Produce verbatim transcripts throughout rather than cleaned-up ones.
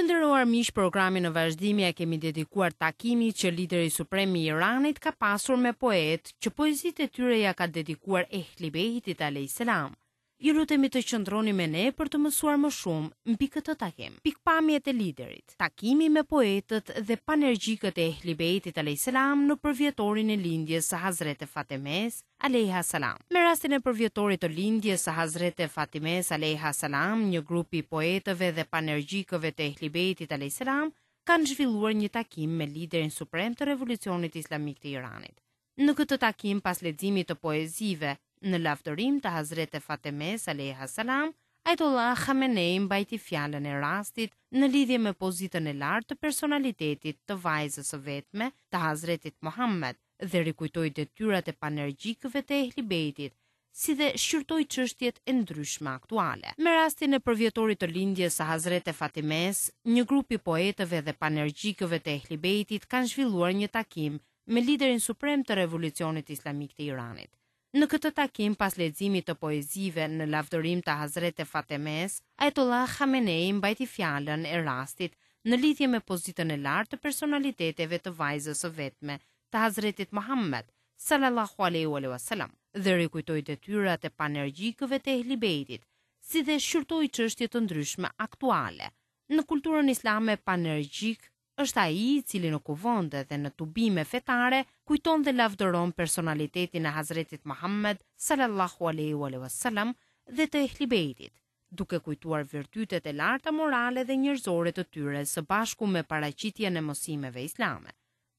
Të nderuar miq, programin në vazhdim ia kemi dedikuar takimit që lideri suprem i Iranit ka pasur me poetë që poezitë e tyre ia ka dedikuar Ehli Bejtit alejhi selam. Ju lutemi të qëndroni me ne për të mësuar më shumë mbi këtë takim. Pikëpamjet e liderit, takimi me poetët dhe panergjikët e Ehli Bejtit alejhi selam në përvjetorin e lindjes së Hazrete Fatemes alejha selam. Me rastin e përvjetorit të lindjes së Hazrete Fatimes alejha selam, një grup i poetëve dhe panergjikëve të Ehli Bejtit alejhi selam kanë zhvilluar një takim me liderin suprem të Revolucionit Islamik të Iranit. Në këtë takim, pas leximit të poezive në lavdërim të Hazrete Fatemes alejha selam, Ayatollah Khamenei mbajti fjalën e rastit në lidhje me pozitën e lartë të personalitetit të vajzës së vetme të Hazretit Muhammed dhe rikujtoi detyrat e panergjikëve të Ehli Bejtit, si dhe shqyrtoi çështjet e ndryshme aktuale. Me rastin e përvjetorit të lindjes së Hazrete Fatimes, një grup i poetëve dhe panergjikëve të Ehli Bejtit kanë zhvilluar një takim me liderin suprem të Revolucionit Islamik të Iranit. Në këtë takim, pas leximit të poezive në lavdërim të Hazrete Fatemes, Ayatollah Khamenei mbajti fjalën e rastit në lidhje me pozitën e lartë të personaliteteve të vajzës së vetme të Hazretit Muhammed sallallahu alaihi wasallam dhe rikujtoi detyrat e panergjikëve të Ehli Bejtit, si dhe shqyrtoi çështje të ndryshme aktuale. Në kulturën islame, panergjik është ai i cili në kuvende dhe në tubime fetare kujton dhe lavdëron personalitetin e Hazretit Muhammed sallallahu alaihi wasallam dhe të Ehli Bejtit, duke kujtuar virtytet e larta morale dhe njerëzore të tyre së bashku me paraqitjen e mësimeve islame.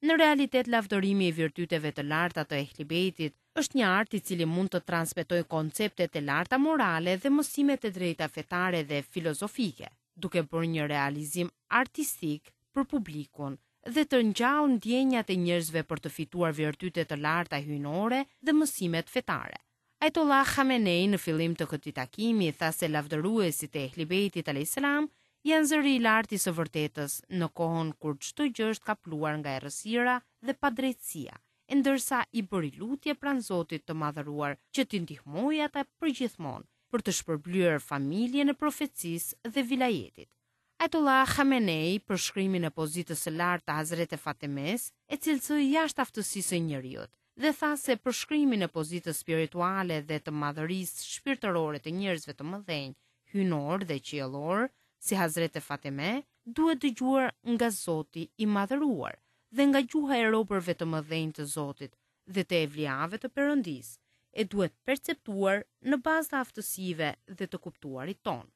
Në realitet, lavdërimi i virtyteve të larta të Ehli Bejtit është një art i cili mund të transmetojë konceptet e larta morale dhe mësimet e drejta fetare dhe filozofike, duke bërë një realizim artistik për publikun dhe të ngjallë ndjenjat e njerëzve për të fituar virtyte të larta hyjnore dhe mësimet fetare. Ayatollah Khamenei në fillim të këtij takimi tha se lavdëruesit e Ehli Bejtit alayhis salam janë zëri i lartë i së vërtetës në kohën kur çdo gjë është kapluar nga errësira dhe padrejtësia, e ndërsa i bëri lutje pranë Zotit të madhëruar që t'i ndihmojë ata përgjithmonë për të shpërblyer familjen e profecisë dhe vilajetit. Ayatollah Khamenei përshkrimin e pozitës së lartë të Hazrete Fatimes e cilësoi jashtë aftësisë së njeriut dhe tha se përshkrimin e pozitës spirituale dhe të madhërisë shpirtërore të njerëzve të mëdhenj, hyjnor dhe qiellor, si Hazrete Fatime, duhet dëgjuar nga Zoti i madhëruar dhe nga gjuha e robërve të mëdhenj të Zotit dhe të evliave të Perëndisë, e duhet perceptuar në bazë të aftësive dhe të kuptuarit tonë.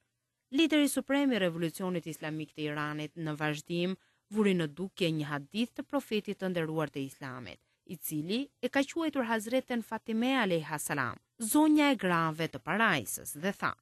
Lideri suprem i Revolucionit Islamik të Iranit në vazhdim vuri në dukje një hadith të profetit të nderuar të Islamit, i cili e ka quajtur Hazreten Fatime alejha salam, zonja e grave të parajsës, dhe tha: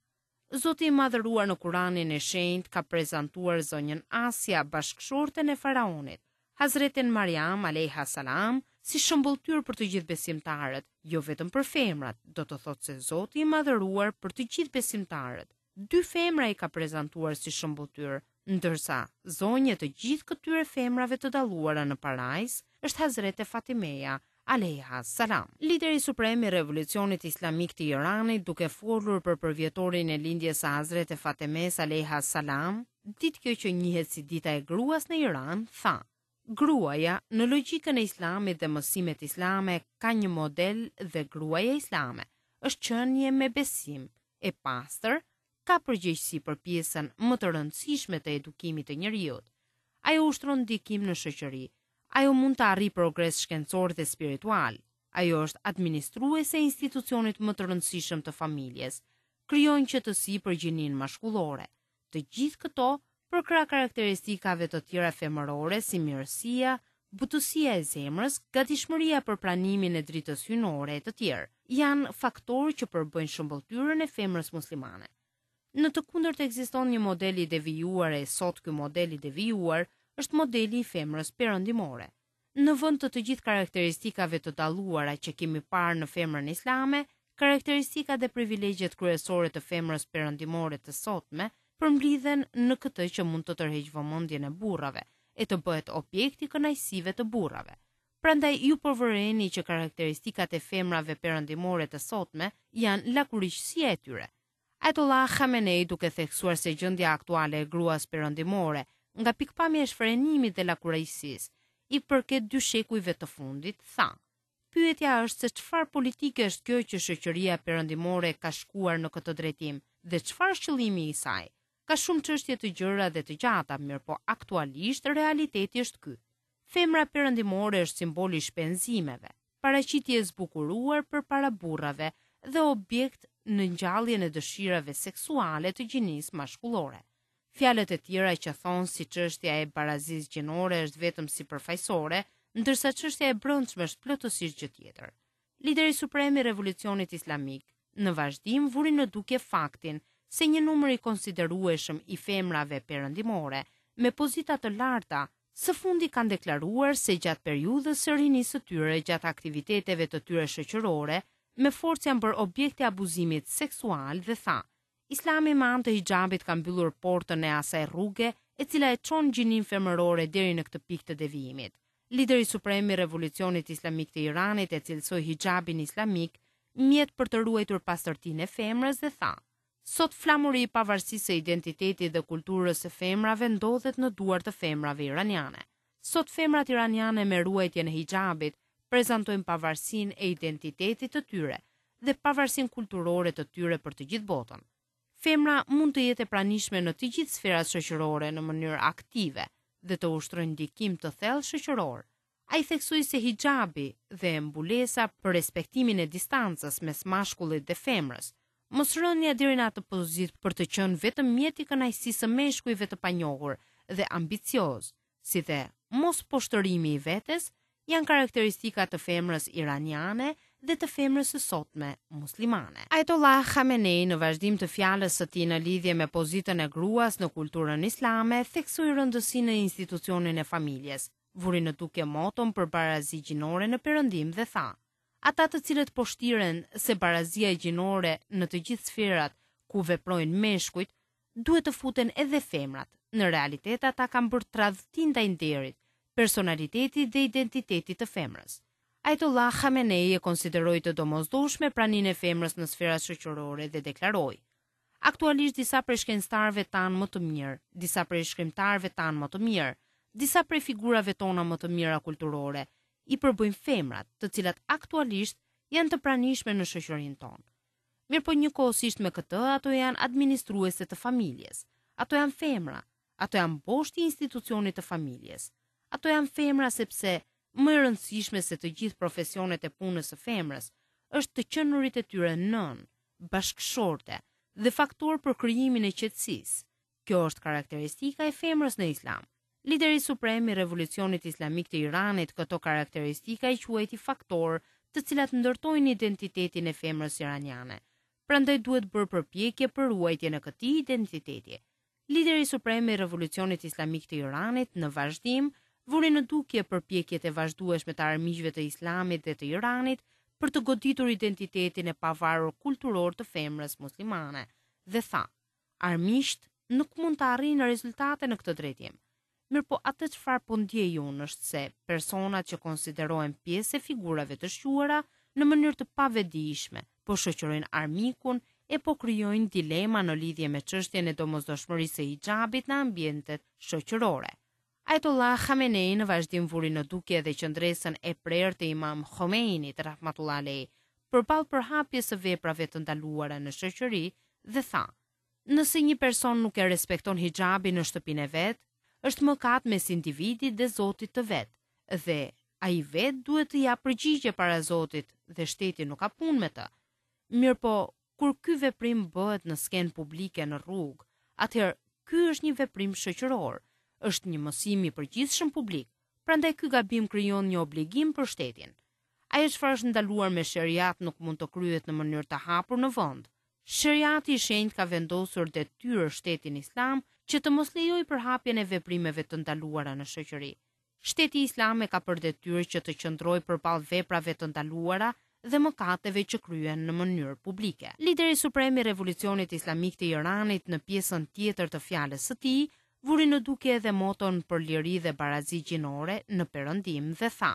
Zoti i madhëruar në Kuranin e Shenjtë ka prezantuar zonjën Asia, bashkëshorten e faraonit, Hazreten Mariam alejha salam, si shembulltyr për të gjithë besimtarët, jo vetëm për femrat, do të thotë se Zoti i madhëruar për të gjithë besimtarët. Dy femra i ka prezantuar si shembulltyr, ndërsa zonja të gjithë këtyre femrave të dalluara në parajs është Hazrete Fatimeja alejha salam. Lideri suprem i Revolucionit Islamik të Iranit, duke folur për përvjetorin e lindjes së Hazrete Fatimes alejha salam, ditë kjo që njihet si dita e gruas në Iran, tha: Gruaja në logjikën e Islamit dhe mësimet islame ka një model dhe gruaja islame është qenie me besim, e pastër, ka përgjegjësi për pjesën më të rëndësishme të edukimit të njeriut. Ajo ushtron ndikim në shoqëri. Ajo mund të arrijë progres shkencor dhe spiritual. Ajo është administruese e institucionit më të rëndësishëm të familjes. Krijon qetësi për gjinin mashkullore. Të gjithë këto përkrah karakteristikave të tjera femërore si mirësia, butësia e zemrës, gatishmëria për pranimin e dritës hyjnore e të tjerë, janë faktorë që përbëjnë shëmbëlltyrën e femrës muslimane. Në të kundërt ekziston një model i devijuar e sot ky model i devijuar është modeli i femrës perëndimore. Në vend të të gjithë karakteristikave të dalluara që kemi parë në femrën islame, karakteristikat dhe privilegjet kryesore të femrës perëndimore të sotme përmblidhen në këtë që mund të tërheqë vëmendjen e burrave e të bëhet objekt i kënaqësive të burrave. Prandaj ju përvëreni që karakteristikat e femrave perëndimore të sotme janë lakuriqësia e tyre. Ayatollah Khamenei, duke theksuar se gjendja aktuale e gruas perëndimore nga pikëpamja e shfrenimit dhe lakuriqësisë, i përket dy shekujve të fundit, tha: Pyetja është se çfarë politike është kjo që shoqëria perëndimore ka shkuar në këtë drejtim dhe çfarë është qëllimi i saj. Ka shumë çështje të gjera dhe të gjata, mirëpo aktualisht realiteti është ky. Femra perëndimore është simboli i shpenzimeve, paraqitje e zbukuruar përpara burrave dhe objekt në ngjalljen e dëshirave seksuale të gjinisë mashkullore. Fjalët e tjera që thonë si çështja e barazisë gjinore është vetëm sipërfaqësore, ndërsa çështja e brendshme është plotësisht gjë tjetër. Lideri suprem i Revolucionit Islamik në vazhdim vuri në dukje faktin se një numër i konsiderueshëm i femrave perëndimore me pozita të larta së fundi kanë deklaruar se gjatë periudhës së rinisë së tyre, gjatë aktiviteteve të tyre shoqërore, me forcë janë bërë objekte e abuzimit seksual dhe tha: Islami me anë të hixhabit ka mbyllur portën e asaj rruge e cila e çon gjininë femërore deri në këtë pikë të devijimit. Lideri suprem i Revolucionit Islamik të Iranit e cilësoi hixhabin islamik mjet për të ruajtur pastërtinë e femrës dhe tha: Sot flamuri i pavarësisë së identitetit dhe kulturës së femrave ndodhet në duar të femrave iraniane. Sot femrat iraniane me ruajtjen e hixhabit prezantojnë pavarësinë e identitetit të tyre dhe pavarësinë kulturore të tyre për të gjithë botën. Femra mund të jetë e pranishme në të gjithë sferat shoqërore në mënyrë aktive dhe të ushtrojë ndikim të thellë shoqëror. Ai theksoi se hixhabi dhe mbulesa për respektimin e distancës mes mashkullit dhe femrës, mosrënia deri në atë pozitë për të qenë vetëm mjet i kënaqësisë së meshkujve të panjohur dhe ambicioz, si dhe mos poshtërimi i vetes, janë karakteristika të femrës iraniane dhe të femrës së sotme muslimane. Ayatollah Khamenei në vazhdim të fjalës së tij në lidhje me pozitën e gruas në kulturën islame theksoi rëndësinë e institucionin e familjes, vuri në dukje moton për barazi gjinore në perëndim dhe tha: Ata të cilët poshtiren se barazia gjinore në të gjithë sferat ku veprojnë meshkujt, duhet të futen edhe femrat. Në realitet ata kanë bërë tradhti ndaj nderit, personalitetit dhe identitetit të femrës. Ayatollah Khamenei e konsideroi të domosdoshme praninë e femrës në sferat shoqërore dhe deklaroi: Aktualisht disa prej shkencëtarëve tanë më të mirë, disa prej shkrimtarëve tanë më të mirë, disa prej figurave tona më të mira kulturore i përbëjnë femrat, të cilat aktualisht janë të pranishme në shoqërinë tonë. Mirëpo njëkohësisht me këtë, ato janë administruese të familjes, ato janë femra, ato janë boshti i institucionit të familjes. Ato janë femra sepse më e rëndësishme se të gjithë profesionet e punës së femrës është të qenurit e tyre nën, bashkëshorte dhe faktor për krijimin e qetësisë. Kjo është karakteristika e femrës në Islam. Lideri suprem i Revolucionit Islamik të Iranit këto karakteristika i quajti faktor të cilat ndërtojnë identitetin e femrës iraniane. Prandaj duhet bërë përpjekje për ruajtjen e këtij identiteti. Lideri suprem i Revolucionit Islamik të Iranit në vazhdim vuri në dukje përpjekjet e vazhdueshme të armiqve të Islamit dhe të Iranit për të goditur identitetin e pavarur kulturor të femrës muslimane dhe tha: Armiqt nuk mund të arrijnë rezultate në këtë drejtim. Mirëpo atë çfarë po ndjej unë është se personat që konsiderohen pjesë e figurave të shquara në mënyrë të pavetëdijshme po shoqërojnë armikun e po krijojnë dilema në lidhje me çështjen e domosdoshmërisë së hixhabit në ambientet shoqërore. Ayatollah Khamenei në vazhdim vuri në dukje edhe qëndresën e prerë të Imam Khomeinit rahmatullah alayh përballë përhapjes së veprave të ndaluara në shoqëri dhe tha: Nëse një person nuk e respekton hixhabin në shtëpinë e vet, është mëkat mes individit dhe Zotit të vet, dhe ai vet duhet të japë përgjigje para Zotit dhe shteti nuk ka punë me të. Mirëpo, kur ky veprim bëhet në skenë publike në rrugë, atëherë ky është një veprim shoqëror, është një mësim i përgjithshëm publik, prandaj ky gabim krijon një obligim për shtetin. Ajo çfarë është ndaluar me sheriat nuk mund të kryhet në mënyrë të hapur në vend. Sheriati i shenjtë ka vendosur detyrë shtetin islam që të mos lejojë përhapjen e veprimeve të ndaluara në shoqëri. Shteti islam e ka për detyrë që të qëndrojë përballë veprave të ndaluara dhe mëkateve që kryhen në mënyrë publike. Lideri suprem i Revolucionit Islamik të Iranit në pjesën tjetër të fjalës së tij vuri në dukje edhe moton për liri dhe barazi gjinore në perëndim dhe tha: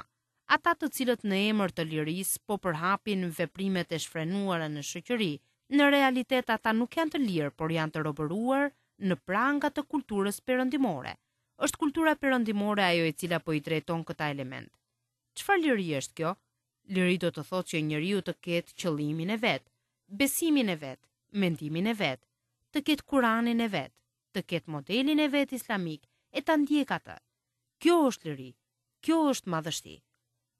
Ata të cilët në emër të lirisë po përhapin veprimet e shfrenuara në shoqëri, në realitet ata nuk janë të lirë, por janë të robëruar në pranga të kulturës perëndimore. Është kultura perëndimore ajo e cila po i drejton këta element. Çfarë liri është kjo? Liri do të thotë që njeriu të ketë qëllimin e vet, besimin e vet, mendimin e vet, të ketë Kuranin e vet, të ketë modelin e vet islamik e ta ndjek atë. Kjo është liri. Kjo është madhështi.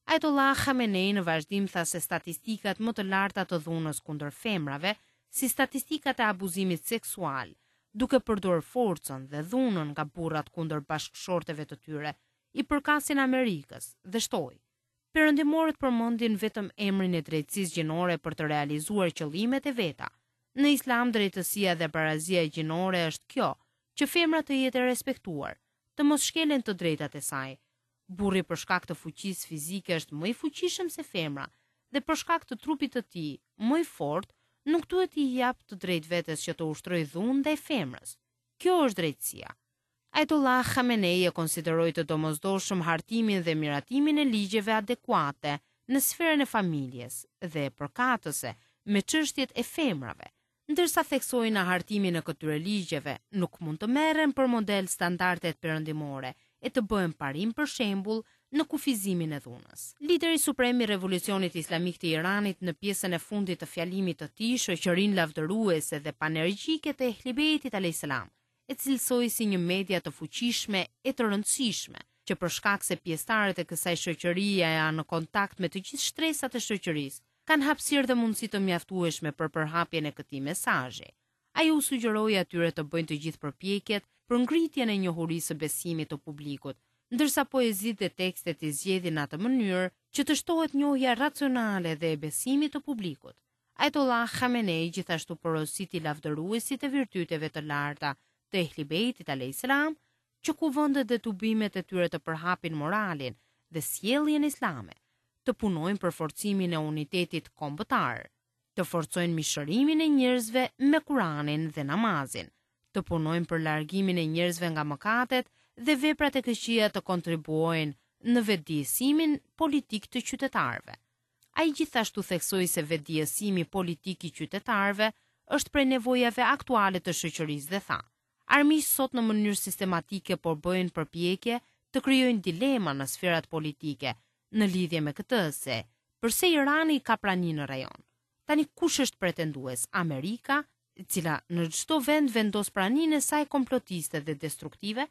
Ayatollah Khamenei në vazhdim tha se statistikat më të larta të dhunës kundër femrave, si statistikat e abuzimit seksual, duke përdorur forcën dhe dhunën nga burrat kundër bashkëshorteve të tyre, i përkasin Amerikës dhe shtoi: Perëndimorët përmendin vetëm emrin e drejtësisë gjinore për të realizuar qëllimet e veta. Në Islam drejtësia dhe barazia gjinore është kjo, që femra të jetë e respektuar, të mos shkelen të drejtat e saj. Burri për shkak të fuqisë fizike është më i fuqishëm se femra dhe për shkak të trupit të tij më i fortë, nuk duhet t'i jap të drejtë vetes që të ushtrojë dhunë ndaj femrës. Kjo është drejtësia. Ayatollah Khamenei e konsideroi të domosdoshëm hartimin dhe miratimin e ligjeve adekuate në sferën e familjes dhe përkatëse me çështjet e femrave, ndërsa theksoi në hartimin e këtyre ligjeve nuk mund të merren për model standardet perëndimore e të bëhen parim për shembull në kufizimin e dhunës. Lideri suprem i Revolucionit Islamik të Iranit në pjesën e fundit të fjalimit të tij, shoqërinë lavdëruese dhe panergjike të Ehli Bejtit alayhis salam, e cilësoi si një media të fuqishme e të rëndësishme, që për shkak se pjesëtarët e kësaj shoqërie janë në kontakt me të gjithë shtresat e shoqërisë, kanë hapësirë dhe mundësi të mjaftueshme për përhapjen e këtij mesazhi. Ai u sugjeroi atyre të bëjnë të gjithë përpjekjet për ngritjen e njohurisë së besimit të publikut, ndërsa poezitë dhe tekstet i zgjedhin në atë mënyrë që të shtohet njohja racionale dhe e besimit të publikut. Ayatollah Khamenei gjithashtu porositi lavdëruesit e virtyteve të larta të Ehli Bejtit alayhis salam, që kuvendet dhe tubimet e tyre të përhapin moralin dhe sjelljen islame, të punojnë për forcimin e unitetit kombëtar, të forcojnë mishërimin e njerëzve me Kuranin dhe namazin, të punojnë për largimin e njerëzve nga mëkatet dhe veprat e këqija, të kontribuojnë në vetëdijësimin politik të qytetarëve. Ai gjithashtu theksoi se vetëdijësimi politik i qytetarëve është prej nevojave aktuale të shoqërisë dhe tha: Armiqtë sot në mënyrë sistematike po bëjnë përpjekje të krijojnë dilema në sferat politike në lidhje me këtë se përse Irani ka prani në rajon. Tani kush është pretendues? Amerika, e cila në çdo vend vendos praninë e saj komplotiste dhe destruktive?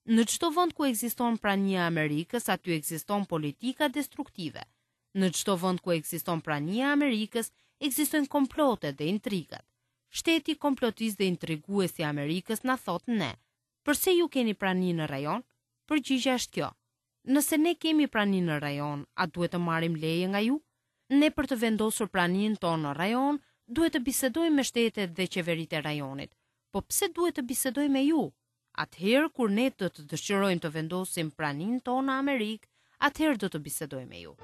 Në çdo vend ku ekziston prania e Amerikës, aty ekziston politika destruktive. Në çdo vend ku ekziston prania e Amerikës, ekzistojnë komplotet dhe intrigat. Shteti komplotist dhe intrigues i Amerikës na thot ne: përse ju keni prani në rajon? Përgjigja është kjo: nëse ne kemi prani në rajon, a duhet të marrim leje nga ju? Ne për të vendosur praninë tonë në rajon, duhet të bisedojmë me shtetet dhe qeveritë e rajonit. Po pse duhet të bisedojmë me ju? Atëherë kur ne do të dëshirojmë të vendosim praninë tonë në Amerikë, atëherë do të bisedojmë me ju.